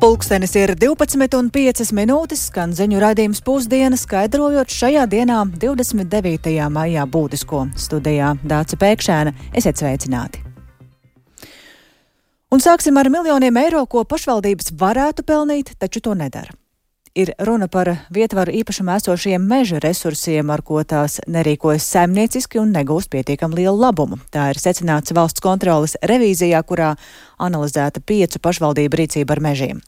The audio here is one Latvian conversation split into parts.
Pulkstenis ir 12:05, skan ziņu raidījums Pusdiena, skaidrojot šajā dienā 29. maijā būtisko. Studijā Dāce Pēkšēna, esiet sveicināti. Un sāksim ar miljoniem eiro, ko pašvaldības varētu pelnīt, taču to nedara. Ir runa par vietvaru īpašumā esošiem meža resursiem, ar ko tās nerīkojas saimnieciski un negūst pietiekam lielu labumu. Tā ir secināts valsts kontroles revīzijā, kurā analizēta 5 pašvaldību rīcība ar mežiem.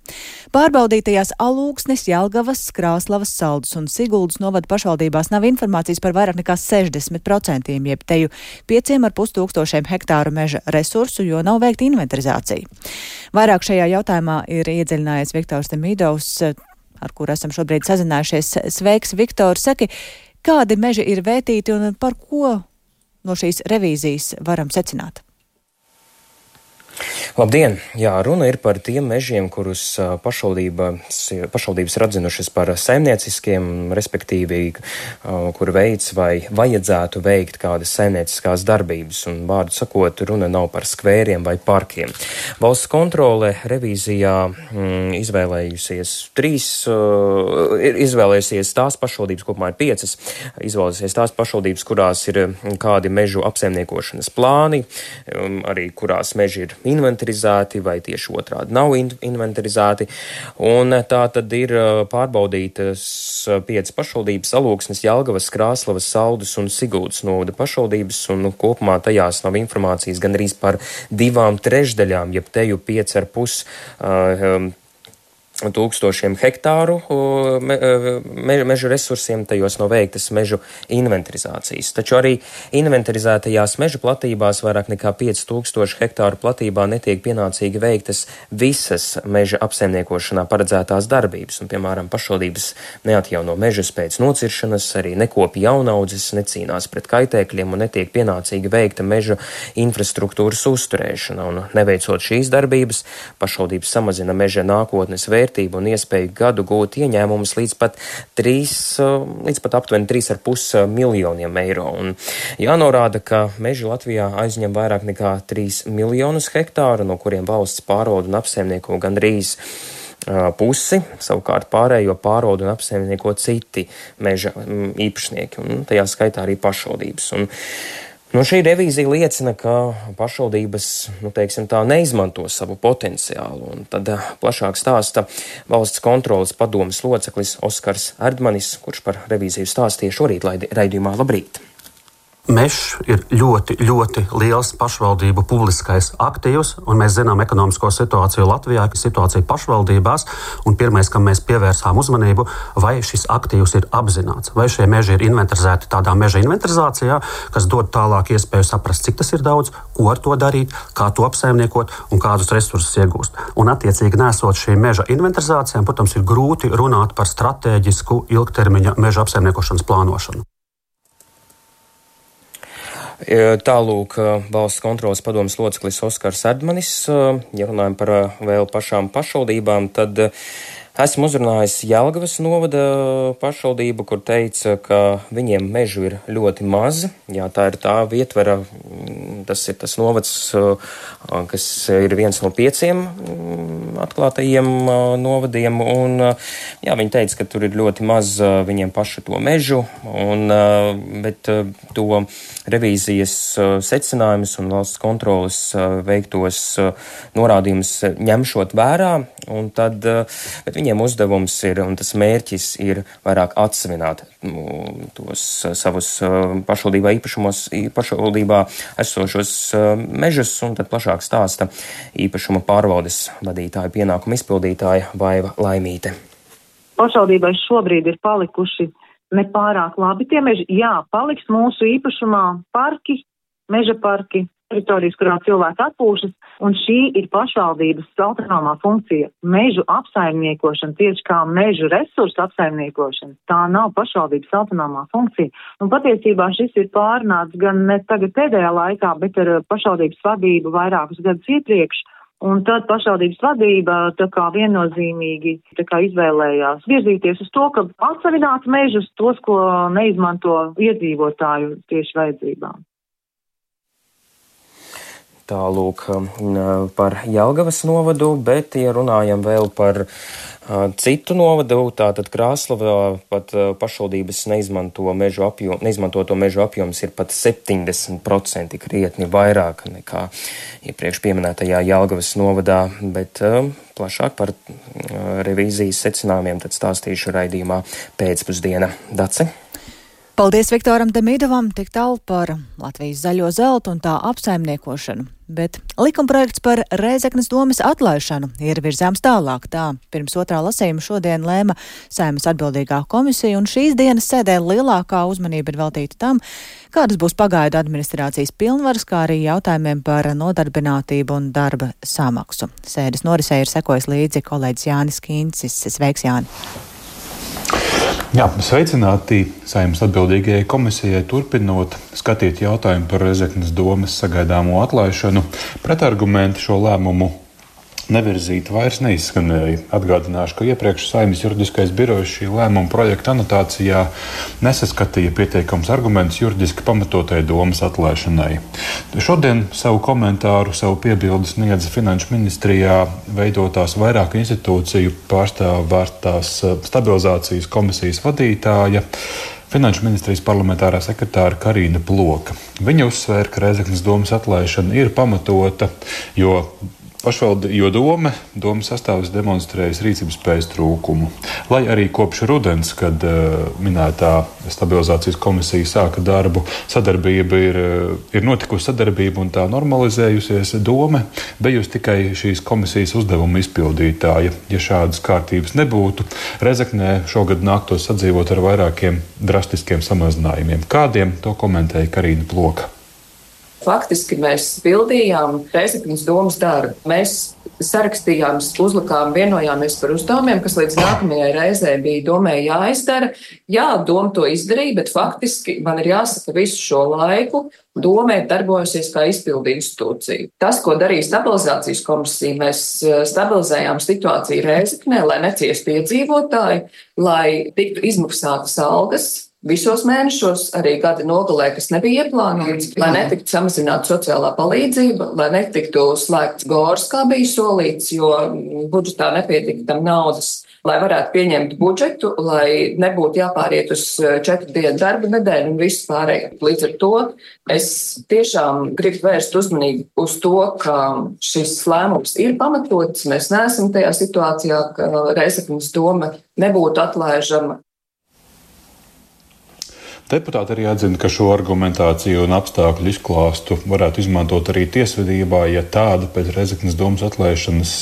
Pārbaudītajās Alūksnes, Jelgavas, Krāslavas, Saldus un Siguldas novada pašvaldībās nav informācijas par vairāk nekā 60%, jeb teju 5,5 tūkstošiem hektāru meža resursu, jo nav veikta inventarizācija. Vairāk šajā jautājumā ir iedziļinājies Viktors Demidovs, ar kuru esam šobrīd sazinājušies. Sveiks, Viktor! Saki, kādi meži ir vērtīti un par ko no šīs revīzijas varam secināt? Labdien! Jā, runa ir par tiem mežiem, kurus pašvaldības ir atzinušas par saimnieciskiem, respektīvi, kur veids vai vajadzētu veikt kādas saimnieciskās darbības. Un, vārdu sakot, runa nav par skvēriem vai parkiem. Valsts kontrole revīzijā izvēlējusies tās pašvaldības, kopumā ir 5, izvēlējusies tās pašvaldības, kurās ir kādi mežu apsaimniekošanas plāni, arī kurās meži ir inventarizēti vai tieši otrādi nav inventarizēti. Un tā tad ir pārbaudītas 5 pašvaldības - Alūksnes, Jelgavas, Krāslavas, Saldus un Siguldas novada pašvaldības, un kopumā tajās nav informācijas gan arī par 2/3, jeb teju 5,5 tūkstošiem hektāru mežu resursiem, tajos nav veiktas mežu inventarizācijas. Taču arī inventarizētajās mežu platībās vairāk nekā 5000 hektāru platībā netiek pienācīgi veiktas visas meža apsaimniekošanā paredzētās darbības. Un, piemēram, pašvaldības neatjauno mežus pēc nociršanas, arī nekopja jaunaudzes, necīnās pret kaitēkļiem un netiek pienācīgi veikta mežu infrastruktūras uzturēšana. Un neveicot šīs darbības, pašvaldības samazina meža nākotnes vērtību un iespēju gadu gūt ieņēmumus līdz pat aptuveni 3,5 miljoniem eiro. Un jānorāda, ka meži Latvijā aizņem vairāk nekā 3 miljonus hektāru, no kuriem valsts pārvalda un apsaimnieko gandrīz pusi, savukārt pārējo pārvalda un apsaimnieko citi meža īpašnieki, un tajā skaitā arī pašvaldības. Un šī revīzija liecina, ka pašvaldības, neizmanto savu potenciālu. Un tad plašāk stāsta valsts kontroles padomes loceklis Oskars Erdmanis, kurš par revīziju stāstīja šorīt raidījumā Labrīt. Mežs ir ļoti, ļoti liels pašvaldību publiskais aktīvs, un mēs zinām ekonomisko situāciju Latvijā, ka situācija pašvaldībās, un pirmais, kam mēs pievērsām uzmanību, vai šis aktīvs ir apzināts, vai šie meži ir inventarizēti tādā meža inventarizācijā, kas dod tālāk iespēju saprast, cik tas ir daudz, ko ar to darīt, kā to apsaimniekot un kādus resursus iegūst. Un attiecīgi nesot šī meža inventarizācijām, protams, ir grūti runāt par stratēģisku ilgtermiņa meža apsaimniekošanas plānošanu. Tālūk valsts kontroles padomes loceklis Oskars Erdmanis. Ja runājam par vēl pašām pašvaldībām, tad esmu uzrunājis Jelgavas novada pašvaldību, kur teica, ka viņiem mežu ir ļoti maz. Jā, tā ir tā vietvara, tas ir tas novads, kas ir viens no 5 atklātajiem novadiem. Un, jā, viņi teica, ka tur ir ļoti maz viņiem paši to mežu, bet to revīzijas secinājumus un valsts kontroles veiktos norādījumus ņemšot vērā, un tad, bet viņiem uzdevums ir, un tas mērķis ir vairāk atsevināt tos savus pašvaldībā esošos mežus, un tad plašāk stāsta īpašuma pārvaldes vadītāja pienākuma izpildītāja Vaiva Laimīte. Pašvaldībai šobrīd ir palikuši nepārāk labi tie meži. Jā, paliks mūsu īpašumā parki, meža parki, teritorijas, kurā cilvēki atpūšas, un šī ir pašvaldības autonomā funkcija. Mežu apsaimniekošana, tieši kā mežu resursu apsaimniekošana, tā nav pašvaldības autonomā funkcija. Un patiesībā šis ir pārnāts gan ne tagad pēdējā laikā, bet ar pašvaldības vadību vairākus gadus iepriekš. Un tad pašvaldības vadība tā kā viennozīmīgi izvēlējās virzīties uz to, ka atsevināt mežus tos, ko neizmanto iedzīvotāju tieši vajadzībām. Tālūk par Jelgavas novadu, bet, ja runājam vēl par citu novadu, tātad Krāslavā pat pašvaldības neizmantoto mežu apjoms ir pat 70%, krietni vairāk nekā iepriekš pieminētajā Jelgavas novadā, bet plašāk par revīzijas secinājumiem tad stāstīšu raidījumā pēcpusdiena. Dace? Paldies Viktoram Demīdovam, tik tālu par Latvijas zaļo zeltu un tā apsaimniekošanu. Bet likumprojekts par Rēzeknes domes atlaišanu ir virzāms tālāk. Tā pirms otrā lasījuma šodien lēma Saeimas atbildīgā komisija, un šīs dienas sēdē lielākā uzmanība ir veltīta tam, kādas būs pagaidu administrācijas pilnvaras, kā arī jautājumiem par nodarbinātību un darba samaksu. Sēdes norisē ir sekojis līdzi kolēģis Jānis Kīncis. Sveiks, Jāni! Jā, sveicināti Saeimas atbildīgajai komisijai turpinot skatīt jautājumu par Rēzeknes domes sagaidāmo atlaišanu. Pretargumenti šo lēmumu nevirzīt vairs neizskanēja. Atgādināšu, ka iepriekš Saeimas juridiskais birojs šī lēmuma projekta anotācijā nesaskatīja pietiekams argumentus juridiski pamatotai domes atlaišanai. Šodien savu komentāru, savu piebildi sniedza Finanšu ministrijā veidotās vairāku institūciju pārstāvētās stabilizācijas komisijas vadītāja, Finanšu ministrijas parlamentārā sekretāra Karīna Ploka. Viņa uzsvēra, ka Rēzeknes domes atlaišana ir pamatota, jo domas sastāvs demonstrējas rīcības spējas trūkumu. Lai arī kopš rudens, kad minētā stabilizācijas komisija sāka darbu, ir notikusi sadarbība un tā normalizējusies, doma bijusi tikai šīs komisijas uzdevuma izpildītāja. Ja šādas kārtības nebūtu, Rēzeknē šogad nāktos sadzīvot ar vairākiem drastiskiem samazinājumiem. Kādiem to komentēja Karīna Ploka? Faktiski mēs pildījām Rēzeknes domes darbu. Mēs sarakstījām, uzlikām, vienojāmies par uzdevumiem, kas līdz nākamajai reizē bija domai jāizdara. Jā, doma to izdarīja, bet faktiski man ir jāsaka visu šo laiku. Doma ir darbojusies kā izpildu institūcija. Tas, ko darīja stabilizācijas komisija, mēs stabilizējām situāciju Rēzeknē, lai neciestu iedzīvotāji, lai tiktu izmaksātas algas visos mēnešos, arī gada nogalē, kas nebija ieplānots, lai netiktu samazināta sociālā palīdzība, lai netiktu slēgts gors, kā bija solīts, jo budžetā nepietika tam naudas, lai varētu pieņemt budžetu, lai nebūtu jāpāriet uz 4 dienu darba nedēļu un viss pārējā. Līdz ar to es tiešām gribu vērst uzmanību uz to, ka šis lēmums ir pamatots. Mēs neesam tajā situācijā, ka Rēzeknes doma nebūtu atlaižama. Deputāti arī atzina, ka šo argumentāciju un apstākļu izklāstu varētu izmantot arī tiesvedībā, ja tāda pēc Rēzeknes domes atlaišanas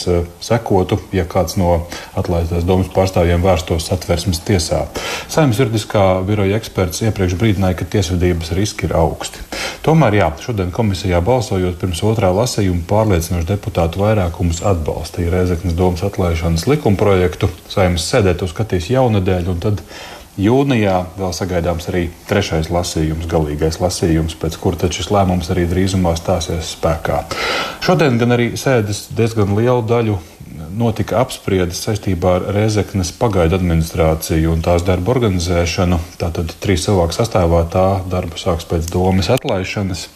sekotu, ja kāds no atlaistās domes pārstāvjiem vērstos Satversmes tiesā. Saeimas juridiskā biroja eksperts iepriekš brīdināja, ka tiesvedības riski ir augsti. Tomēr, šodien komisijā balsojot pirms otrā lasījuma pārliecinoši deputātu vairākums atbalstīja Rēzeknes domes atlaišanas likumprojektu. Saeimas sēdē to skatīs jaunadēļ, un tad jūnijā vēl sagaidāms arī 3. lasījums, galīgais lasījums, pēc kura tad šis lēmums arī drīzumā stāsies spēkā. Šodien gan arī sēdes diezgan lielu daļu notika apspriedes saistībā ar Rēzeknes pagaidu administrāciju un tās darbu organizēšanu. Tātad 3 cilvēku sastāvā tā darbu sāks pēc domes atlaišanas.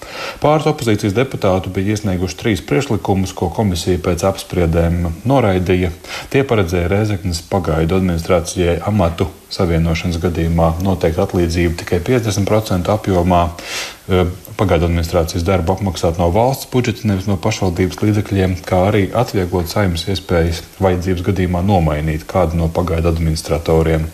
Pāris opozīcijas deputātu bija iesnieguši 3 priekšlikumus, ko komisija pēc apspriedēm noraidīja. Tie paredzēja Rēzeknes pagaidu administrācijai amatu savienošanas gadījumā noteikt atlīdzību tikai 50% apjomā, pagaidu administrācijas darbu apmaksāt no valsts budžeta, nevis no pašvaldības līdzekļiem, kā arī atvieglot Saeimas iespējas vajadzības gadījumā nomainīt kādu no pagaidu administratoriem.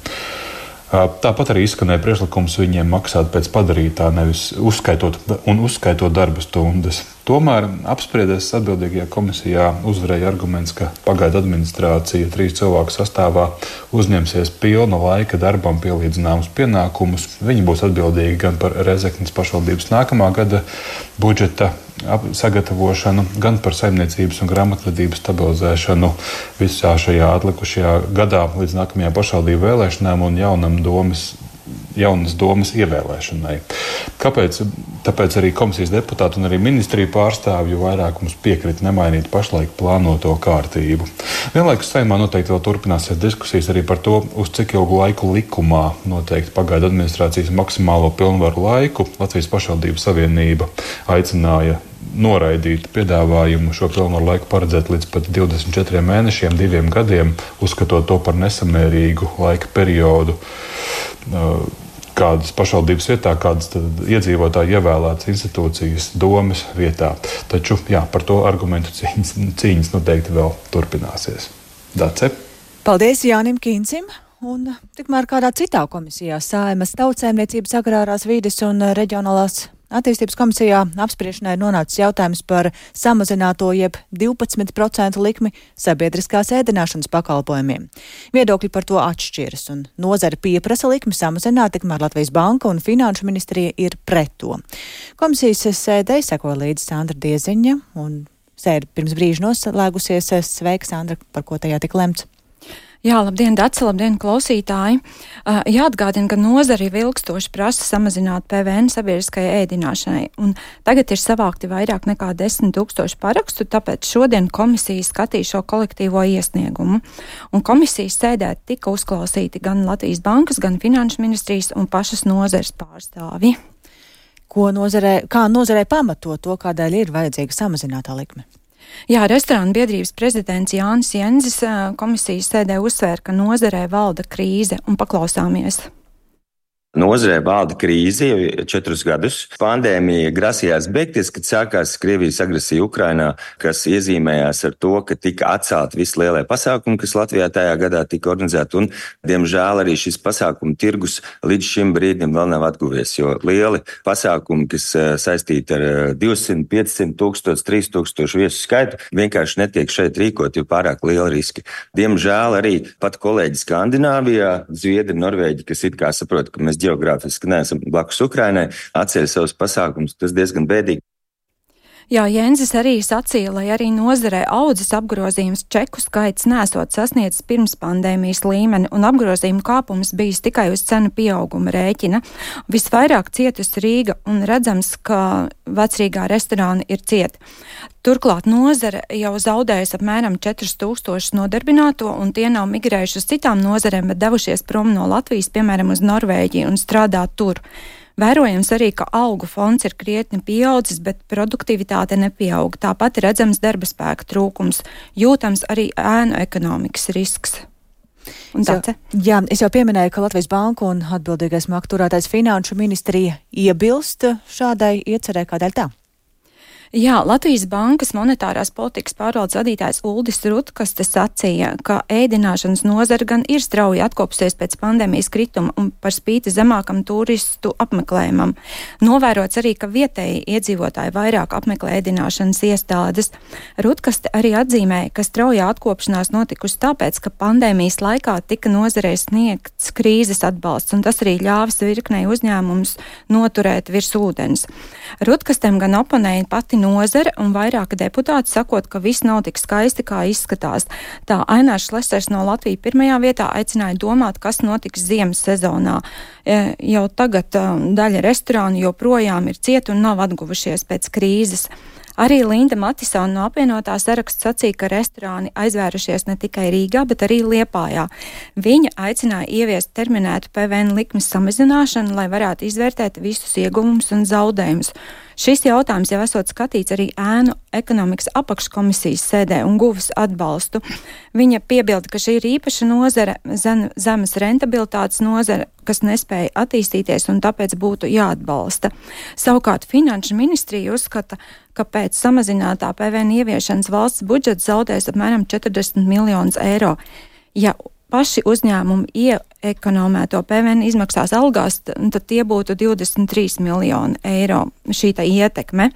Tāpat arī izskanēja priekšlikums viņiem maksāt pēc padarītā, nevis uzskaitot darba stundas. Tomēr apspriedēs atbildīgajā komisijā uzvarēja arguments, ka pagaidu administrācija 3 cilvēku sastāvā uzņemsies pilna laika darbam pielīdzināmus pienākumus. Viņi būs atbildīgi gan par Rēzeknes pašvaldības nākamā gada budžeta sagatavošanu, gan par saimniecības un grāmatvedības stabilizēšanu visā šajā atlikušajā gadā līdz nākamajām pašvaldību vēlēšanām un jaunas domes ievēlēšanai. Kāpēc? Tāpēc arī komisijas deputāti un arī ministriju pārstāvju vairākums piekrita nemainīt pašlaik plānoto kārtību. Vienlaikus Saeimā noteikti vēl turpināsies diskusijas arī par to, uz cik ilgu laiku likumā noteikti pagaidu administrācijas maksimālo pilnvaru laiku. Latvijas pašvaldību savienība aicināja noraidītu piedāvājumu šo pilnvaru laiku paredzēt līdz pat 24 mēnešiem, 2 gadiem, uzskatot to par nesamērīgu laika periodu kādas pašvaldības vietā, kādas iedzīvotāji ievēlētas institūcijas domes vietā. Taču, jā, par to argumentu cīņas noteikti vēl turpināsies. Dace? Paldies Jānim Kīncim. Un tikmēr kādā citā komisijā, Saeimas Tautsēmniecības, agrārās vides un reģionālās attīstības komisijā apspriešanai nonācis jautājums par samazināto jeb 12% likmi sabiedriskās ēdināšanas pakalpojumiem. Viedokļi par to atšķiras, un nozare pieprasa likmi samazināt, tikmēr Latvijas Banka un Finanšu ministrija ir pret to. Komisijas sēdei sekoja līdzi Sandra Dieziņa, un sēde pirms brīža noslēgusies. Sveika, Sandra, par ko tajā tika lemts? Jā, labdien, Dace, labdien, klausītāji. Jāatgādina, ka nozari ilgstoši prasa samazināt PVN sabiedriskajai ēdināšanai, un tagad ir savākti vairāk nekā 10 000 parakstu, tāpēc šodien komisija skatīja šo kolektīvo iesniegumu. Un komisijas sēdē tika uzklausīti gan Latvijas Bankas, gan Finanšu ministrijas un pašas nozares pārstāvji. Kā nozarei pamato to, kādēļ ir vajadzīga samazinātā likme? Jā, restorānu biedrības prezidents Jānis Jenzis komisijas sēdē uzsvēra, ka nozarē valda krīze, un paklausāmies. Nozarē valda krīze jau 4 gadus. Pandēmija grasījās beigties, kad sākās Krievijas agresija Ukrainā, kas iezīmējās ar to, ka tika atcelti visi lielie pasākumi, kas Latvijā tajā gadā tika organizēti, un, diemžēl, arī šis pasākumu tirgus līdz šim brīdim vēl nav atguvies, jo lieli pasākumi, kas saistīti ar 200, 500 tūkstoši, 3000 viesu skaitu, vienkārši netiek šeit rīkot, jo pārāk lieli riski. Diemžēl arī pat kolēģi Skandināvijā, Zviedri, Norvēģi, kas it kā saprot, ka mēs geogrāfiski neesam blakus Ukrainai, atceļ savus pasākumus, tas diezgan bēdīgi. Jā, Jenzis arī sacīja, lai arī nozarē audzes apgrozījums čeku skaits nesot sasniedzis pirms pandēmijas līmeni, un apgrozījumu kāpums bijis tikai uz cenu pieauguma rēķina. Visvairāk cietusi Rīga, un redzams, ka Vecrīgā restorāni ir cieti. Turklāt nozare jau zaudējusi apmēram 4000 nodarbināto, un tie nav migrējuši uz citām nozarēm, bet devušies prom no Latvijas, piemēram, uz Norvēģiju un strādā tur. Vērojams arī, ka algu fonds ir krietni pieaudzis, bet produktivitāte nepieaug. Tāpat ir redzams darba spēka trūkums, jūtams arī ēnu ekonomikas risks. Jā, es jau pieminēju, ka Latvijas Banka un atbildīgais maktu turētājs Finanšu ministrija iebilst šādai iecerē, kādēļ tā? Jā, Latvijas Bankas monetārās politikas pārvaldes vadītājs Uldis Rutkaste sacīja, ka ēdināšanas nozara gan ir strauji atkopsies pēc pandēmijas krituma un par spīti zemākam turistu apmeklējumam. Novērots arī, ka vietēji iedzīvotāji vairāk apmeklē ēdināšanas iestādes. Rutkaste arī atzīmēja, ka straujā atkopšanās notikusi tāpēc, ka pandēmijas laikā tika nozarei sniegts krīzes atbalsts, un tas arī ļāvis virknei uzņēmumus noturēt virs ūdens. Rutkastem gan oponēja pati nozare un vairāki deputāti sakot, ka viss nav tik skaisti, kā izskatās. Tā Ainārs Šlesers no Latvijas pirmajā vietā aicināja domāt, kas notiks ziemas sezonā. Jau tagad daļa restorānu joprojām ir cieti un nav atguvušies pēc krīzes. Arī Linda Matisona no apvienotā saraksta sacīja, ka restorāni aizvērušies ne tikai Rīgā, bet arī Liepājā. Viņa aicināja ieviest terminētu PVN likmes samazināšanu, lai varētu izvērtēt visus ieguvumus un zaudējumus. Šis jautājums jau esot skatīts arī ēnu ekonomikas apakškomisijas sēdē un guvis atbalstu. Viņa piebilda, ka šī ir īpaša nozare, zemes rentabilitātes nozare, kas nespēja attīstīties un tāpēc būtu jāatbalsta. Savukārt Finanšu ministrija uzskata, ka pēc samazinātā PVN ieviešanas valsts budžets zaudēs apmēram 40 miljonus eiro. Ja paši uzņēmumi ieekonomēto PVN izmaksās algās, tad tie būtu 23 miljoni eiro šī ietekme.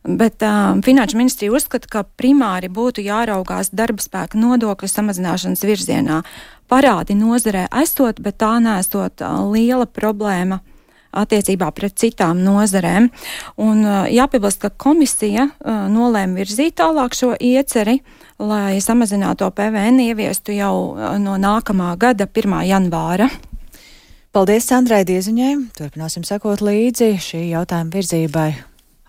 Bet Finanšu ministrija uzskata, ka primāri būtu jāraugās darba spēka nodokļu samazināšanas virzienā. Parādi nozarē esot, bet tā nesot liela problēma attiecībā pret citām nozarēm. Un jāpiebilst, ka komisija nolēma virzīt tālāk šo ieceri, lai samazināto PVN ieviestu jau no nākamā gada 1. janvāra. Paldies Sandrai Dieziņai. Turpināsim sekot līdzi šī jautājuma virzībai,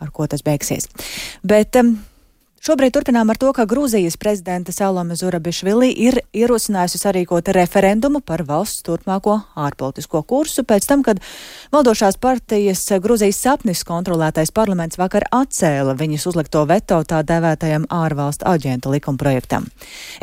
ar ko tas beigsies. Bet Šobrīd turpinām ar to, ka Grūzijas prezidenta Salome Zurabišvili ir ierosinājusi sarīkot referendumu par valsts turpmāko ārpolitisko kursu pēc tam, kad valdošās partijas Grūzijas sapnis kontrolētais parlaments vakar atcēla viņas uzlikto veto tā dēvētajam ārvalstu aģentu likumprojektam.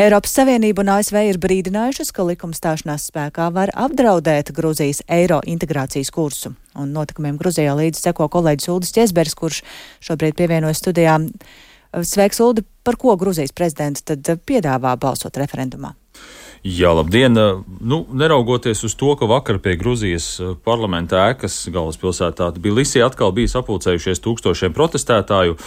Eiropas Savienība un ASV ir brīdinājušas, ka likuma stāšanās spēkā var apdraudēt Grūzijas eiro integrācijas kursu. Un notikumiem Grūzijā līdzi seko kolēģis Uldis Ķesberis, kurš šobrīd pievienojas studijām. Sveiks, Uldi, par ko Grūzijas prezidents tad piedāvā balsot referendumā? Jā, labdien! Neraugoties uz to, ka vakar pie Grūzijas parlamenta ēkas galvaspilsētā Tbilisī atkal bija sapulcējušies tūkstošiem protestētāju,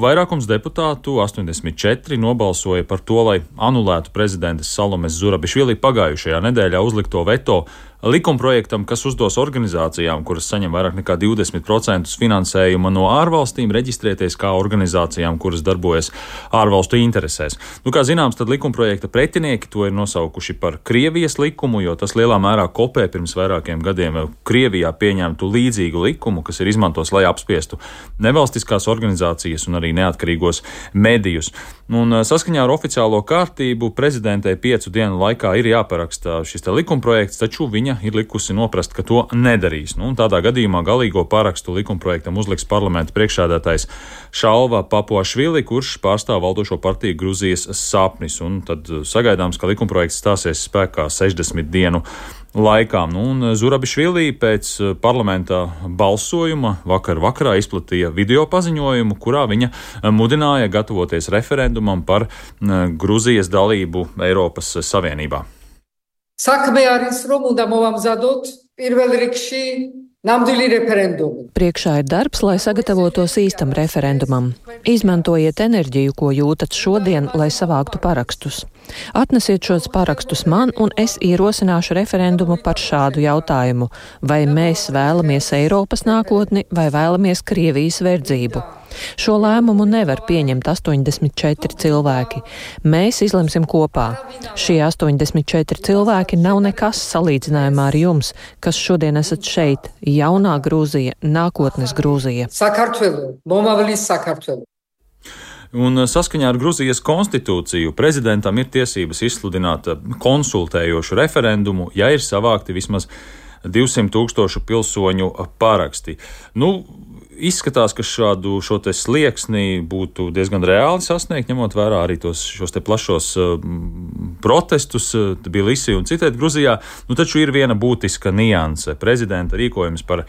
vairākums deputātu, 84, nobalsoja par to, lai anulētu prezidentas Salomes Zurabišvili pagājušajā nedēļā uzlikto veto likumprojektam, kas uzdos organizācijām, kuras saņem vairāk nekā 20% finansējuma no ārvalstīm, reģistrēties kā organizācijām, kuras darbojas ārvalstu interesēs. Kā zināms, tad likumprojekta pretinieki to ir nosaukuši par Krievijas likumu, jo tas lielā mērā kopē pirms vairākiem gadiem Krievijā pieņemtu līdzīgu likumu, kas ir izmantos, lai apspiestu nevalstiskās organizācijas un arī neatkarīgos medijus. Saskaņā ar oficiālo kārtību prezidentei 5 dienu laikā ir jāparaksta šis likumprojekts, taču viņa ir likusi noprast, ka to nedarīs. Tādā gadījumā galīgo parakstu likumprojektam uzliks parlamenta priekšsēdētājs Šalva Papuašvili, kurš pārstāv valdošo partiju Grūzijas sapnis. Tad sagaidāms, ka likumprojekts stāsies spēkā 60 dienu laikā. Zurabišvili pēc parlamentā balsojuma vakarā izplatīja video paziņojumu, kurā viņa mudināja gatavoties referendumam par Grūzijas dalību Eiropas Savienībā. Საქმე არის, რომ უნდა მოვამზადოთ პირველ რიგში nāmdīļi referendumu. Priekšā ir darbs, lai sagatavotos īstam referendumam. Izmantojiet enerģiju, ko jūtat šodien, lai savāktu parakstus. Atnesiet šos parakstus man, un es ierosināšu referendumu par šādu jautājumu. Vai mēs vēlamies Eiropas nākotni, vai vēlamies Krievijas verdzību? Šo lēmumu nevar pieņemt 84 cilvēki. Mēs izlemsim kopā. Šie 84 cilvēki nav nekas salīdzinājumā ar jums, kas šodien esat šeit. Jaunā Grūzija, nākotnes Grūzija. Sakartvelu, momavlis Sakartvelu. Saskaņā ar Grūzijas konstitūciju prezidentam ir tiesības izsludināt konsultējošu referendumu, ja ir savākti vismaz 200,000 pilsoņu paraksti. Izskatās, ka šo te slieksni būtu diezgan reāli sasniegt, ņemot vērā arī šos te plašos protestus Tbilisī un citēt Grūzijā. Taču ir viena būtiska nianse. Prezidenta rīkojums par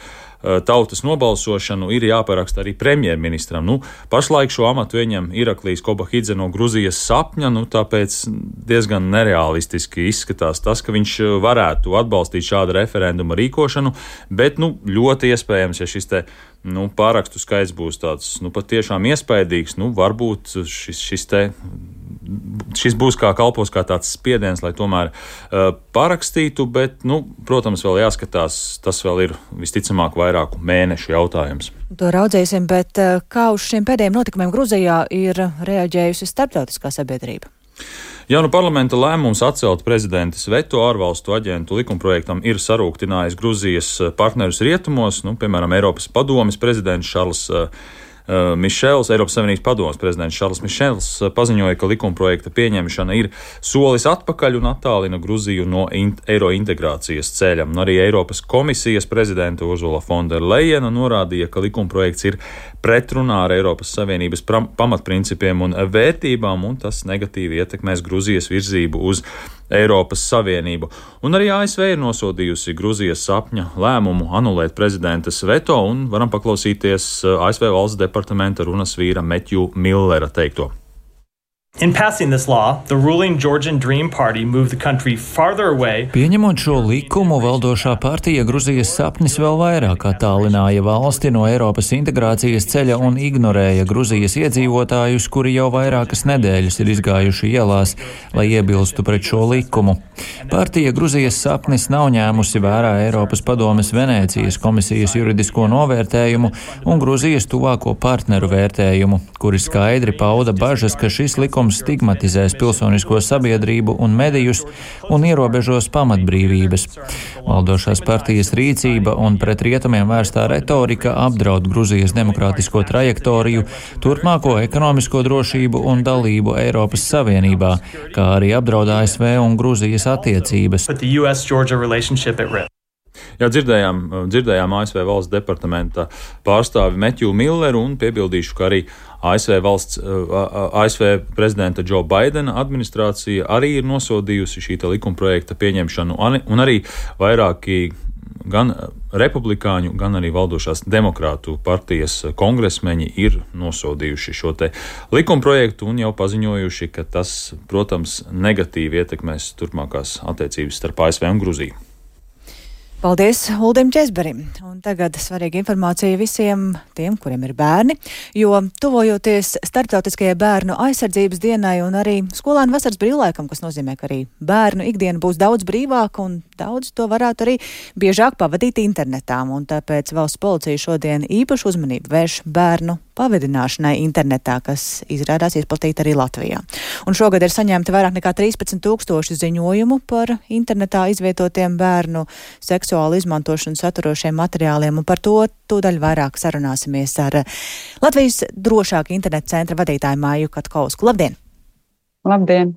tautas nobalsošanu ir jāparaksta arī premjerministram. Pašlaik šo amatu ieņem Iraklīs Kobahidze no Grūzijas sapņa, tāpēc diezgan nereālistiski izskatās tas, ka viņš varētu atbalstīt šādu referenduma rīkošanu, bet ļoti iespējams, ja šis te pārakstu skaits būs tāds patiešām iespaidīgs, varbūt šis būs kalpos kā tāds spiediens, lai tomēr parakstītu, bet, protams, vēl jāskatās, tas vēl ir visticamāk vairāku mēnešu jautājums. To raudzēsim, bet kā uz šiem pēdējiem notikumiem Grūzijā ir reaģējusi starptautiskā sabiedrība? Parlamenta lēmums atcelt prezidentas veto ārvalstu aģentu likumprojektam ir sarūktinājis Grūzijas partnerus rietumos, piemēram, Eiropas padomes prezidents Šarls Mišels, Eiropas Savienības padomes prezidents Šarls Mišels paziņoja, ka likumprojekta pieņemšana ir solis atpakaļ un attālina Grūziju no eiro integrācijas ceļa. Arī Eiropas komisijas prezidenta Ursula von der Leyena norādīja, ka likumprojekts ir pretrunā ar Eiropas Savienības pamatprincipiem un vērtībām, un tas negatīvi ietekmēs Grūzijas virzību uz Eiropas Savienību. Un arī ASV ir nosodījusi Grūzijas sapņa lēmumu anulēt prezidentas veto, un varam paklausīties ASV valsts departamenta runas vīra Metju Millera teikto. In passing this law, the ruling Georgian Dream Party moved the country farther away. Pieņemot šo likumu, valdošā partija Grūzijas sapnis vēl vairāk attālināja valsti no Eiropas integrācijas ceļa un ignorēja Grūzijas iedzīvotājus, kuri jau vairākas nedēļas ir izgājuši ielās, lai iebilstu pret šo likumu. Partija Grūzijas sapnis nav ņēmusi vērā Eiropas padomes Venēcijas komisijas juridisko novērtējumu un Grūzijas tuvāko partneru vērtējumu, kuri skaidri pauda bažas, ka šis likums likums stigmatizēs pilsonisko sabiedrību un medijus un ierobežos pamatbrīvības. Valdošās partijas rīcība un pret rietumiem vērstā retorika apdraud Gruzijas demokrātisko trajektoriju, turpmāko ekonomisko drošību un dalību Eiropas Savienībā, kā arī apdraud ASV un Gruzijas attiecības. Jā, dzirdējām ASV valsts departamenta pārstāvi Metju Milleru un piebildīšu, ka arī ASV prezidenta Joe Bidena administrācija arī ir nosodījusi šī likumprojekta pieņemšanu un arī vairāki gan republikāņu, gan arī valdošās demokrātu partijas kongresmeņi ir nosodījuši šo te likumprojektu un jau paziņojuši, ka tas, protams, negatīvi ietekmēs turpmākās attiecības starp ASV un Gruziju. Paldies Uldim Česberim. Un tagad svarīga informācija visiem tiem, kuriem ir bērni, jo tuvojoties Starptautiskajai bērnu aizsardzības dienai un arī skolēnu vasaras brīvlaikam, kas nozīmē, ka arī bērnu ikdiena būs daudz brīvāka un daudz to varētu arī biežāk pavadīt internetā. Un tāpēc valsts policija šodien īpašu uzmanību vērš bērnu pavadināšanai internetā, kas izrādās izplatīta arī Latvijā. Un šogad ir saņemti vairāk nekā 13,000 ziņojumu par internetā izvietotiem bērnu seksuālu izmantošanu saturošiem materiāliem, un par to tūdaļ vairāk sarunāsimies ar Latvijas drošāka interneta centra vadītāju Māju Katkausku. Labdien! Labdien!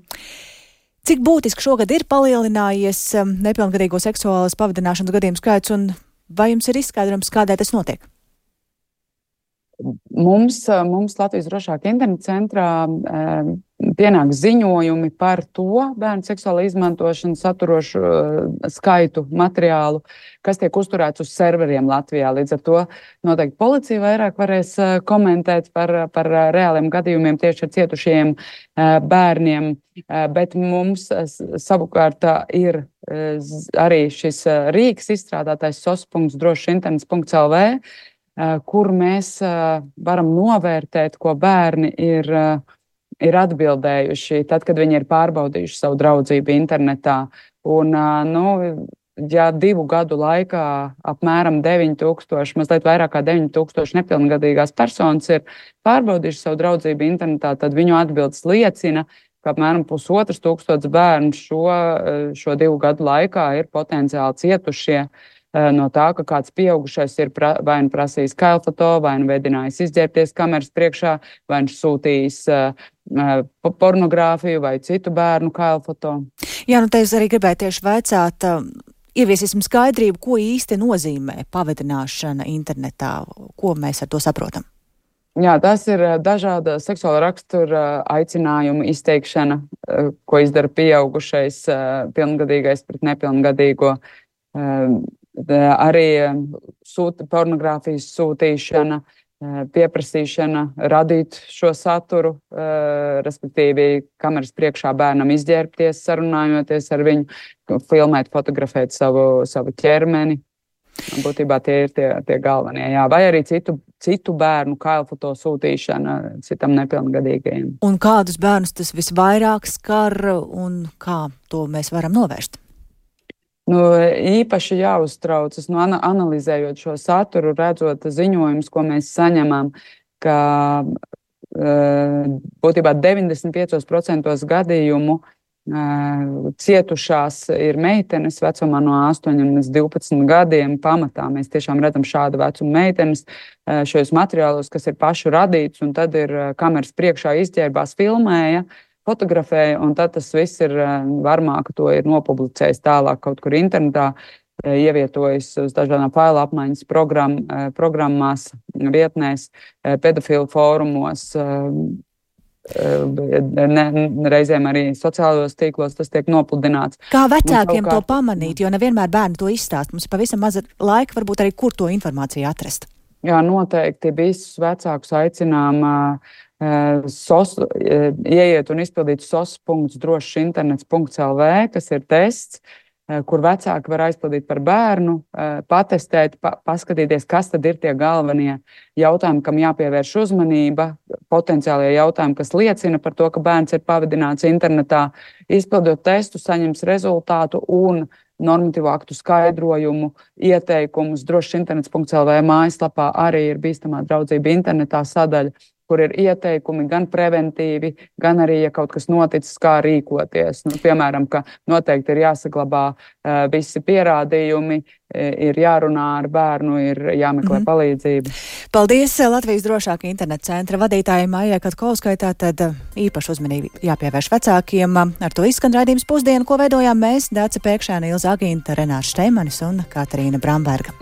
Cik būtiski šogad ir palielinājies nepilngadīgo seksuālas pavadināšanas gadījumu skaits, un vai jums ir izskaidrojums, kādēļ tas notiek? Mums Latvijas drošāka interneta centrā pienāk ziņojumi par to bērnu seksuālu izmantošanu saturošu skaitu materiālu, kas tiek uzturēts uz serveriem Latvijā. Līdz ar to noteikti policija vairāk varēs komentēt par reāliem gadījumiem tieši ar cietušiem bērniem, bet mums savukārt ir arī šis rīks izstrādātais sos.drošinternets.lv, kur mēs varam novērtēt, ko bērni ir atbildējuši tad, kad viņi ir pārbaudījuši savu draudzību internetā. Un, ja 2 gadu laikā apmēram 9,000, mazliet vairāk kā 9,000 nepilngadīgās personas ir pārbaudījuši savu draudzību internetā, tad viņu atbildes liecina, ka apmēram 1,500 bērnu šo 2 gadu laikā ir potenciāli cietušie no tā, ka kāds pieaugušais ir vai nu prasījis kailfoto, vai nu vedinājis izģērbties kameras priekšā, vai nu sūtījis pornogrāfiju vai citu bērnu kailfoto. Jā, te es arī gribēju tieši vaicāt, ieviesīsim skaidrību, ko īsti nozīmē pavadināšana internetā, ko mēs ar to saprotam. Jā, tas ir dažāda seksuāla rakstura aicinājumu izteikšana, ko izdara pieaugušais, pilngadīgais pret nepilngadīgo. Arī pornogrāfijas sūtīšana, pieprasīšana radīt šo saturu, respektīvi kameras priekšā bērnam izģērbties, sarunājoties ar viņu, filmēt, fotografēt savu ķermeni. Būtībā tie ir tie galvenie. Jā. Vai arī citu bērnu kailfoto sūtīšana citam nepilngadīgajiem. Un kādus bērnus tas visvairāk skar un kā to mēs varam novērst? Īpaši jāuztraucas, analizējot šo saturu, redzot ziņojumus, ko mēs saņemam, ka būtībā 95% gadījumu cietušās ir meitenes vecumā no 8 līdz 12 gadiem. Pamatā mēs tiešām redzam šādu vecumu meitenes šajos materiālos, kas ir pašu radīts, un tad ir kameras priekšā izģērbās, filmēja, fotografēja, un tad tas viss ir varmāk, to ir nopublicējis tālāk kaut kur internetā, ievietojas uz dažādām faila apmaiņas programmās, vietnēs, pedofilu fórumos, reizēm arī sociālajos tīklos tas tiek nopludināts. Kā vecākiem to pamanīt, jo nevienmēr bērni to izstāst? Mums ir pavisam maza laika, varbūt arī kur to informāciju atrast. Jā, noteikti visus vecākus aicinām ieiet un izpildīt sos.drošinternets.lv, kas ir tests, kur vecāki var aizpildīt par bērnu, patestēt, paskatīties, kas tad ir tie galvenie jautājumi, kam jāpievērš uzmanība, potenciālie jautājumi, kas liecina par to, ka bērns ir pavadināts internetā, izpildot testu, saņems rezultātu un normatīvu aktu skaidrojumu, ieteikumus. Drošinternets.lv mājaslapā arī ir bīstamā draudzība internetā sadaļa, kur ir ieteikumi gan preventīvi, gan arī, ja kaut kas noticis, kā rīkoties. Piemēram, ka noteikti ir jāsaglabā visi pierādījumi, ir jārunā ar bērnu, ir jāmeklē palīdzību. Paldies Latvijas drošāka interneta centra vadītājai Maijai Katkovskai. Tātad īpaši uzmanību jāpievērš vecākiem. Ar to izskan raidījums Pusdiena, ko veidojām mēs, Dāca Pēkšēna, Ilza Agīnta, Renārs Šteimanis un Katarīna Bramberga.